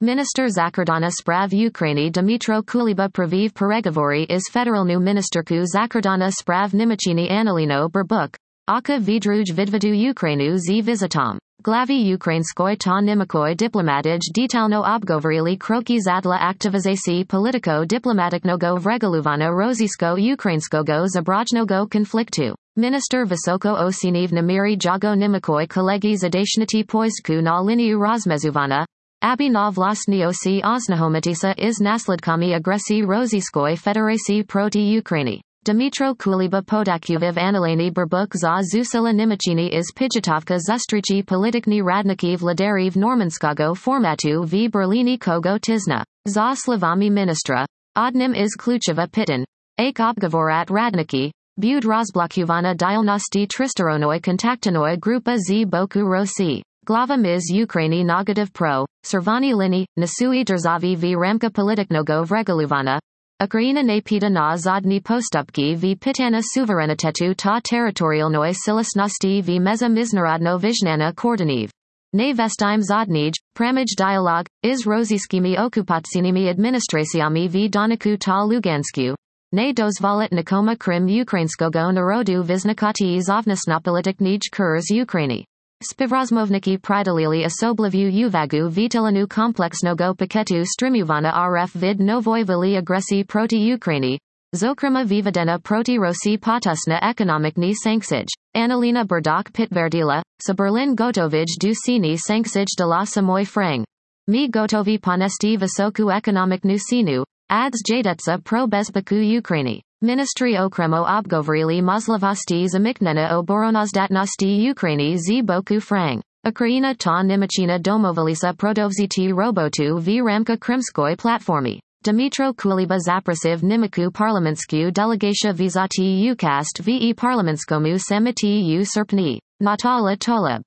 Minister Zakardana Sprav Ukraini Dmitro Kuliba Praviv Peregovory is Federal New Ministerku Zakardana Sprav Nimachini Anilino Burbuk. Aka Vidruj Vidvadu Ukrainu z Vizitom. Glavi Ukrainskoy ta Nimakoy Diplomatij Detalno Obgovorili Kroki Zadla Aktivizacji Politiko Diplomatycznego Wregaluvana Rosyjsko Ukraińskiego Zabrajnego Konfliktu. Minister Wysoko Osiniv Namiri Jago Nimakoy Kolegi Zadashniti Poistku na Liniu Rozmezuwana. Abi na vlastni osi oznahomitisa is nasledkami agresji Rosyjskoj Federacji proti Ukraini. Dmitro Kuliba Podakuviv Anilani Burbuk za Zusila Nimachini is Pijatavka Zustrichi Politikni Radnikov Lidariv Normanskago Formatu v Berlini Kogo Tizna. Za Slavami Ministra. Odnim is Klucheva Pitin. Ake Obgovorat Radniki. Bud Rozblokuvana Dialnosti Tristaronoi Kontaktanoi Grupa z Boku Rossi. Glava Ms Ukraini Negativ Pro. Servani Lini. Nasui Drzavi v Ramka Politiknogo Vregaluvana. Ukraina napita na zadni postupki v pitana suverenitetu ta teritorialnoj silasnosti v meza miznarodno vizhnana kordaniv. Ne vestime zadnij, pramij dialog, iz rosyjskimi okupacyjnymi administracjami v Doniku ta Lugansku. Ne dozvolit nikoma Krim Ukrainskogo narodu viznikati zovnisnopolitiknij kurs Ukraini. Spivrazmovniki pridalili osoblivu uvagu vitilanu kompleksnogo paketu strimuvana rf vid novoi vili agresi proti Ukraini. Zokrima vivadena proti Rossi potusna ekonomikni sanksij. Annalina Burdok Pitverdila, sa Berlin gotovij du sini sanksij de la samoy frang. Mi gotovi ponesti visoku ekonomiknu sinu, ads jadetsa pro bezbaku Ukraini. Ministry okremo obgovorili Mozlavosti zamiknena oboronozdatnosti Ukraini z boku frang. Ukraina ta Nimachina domovilisa prodovziti robotu v Ramka Krimskoj platformi. Dmitro Kuliba zaprasiv Nimaku parlamentsku delegatia vizati ukast ve parlamentskomu samiti u serpni. Natala Toleb.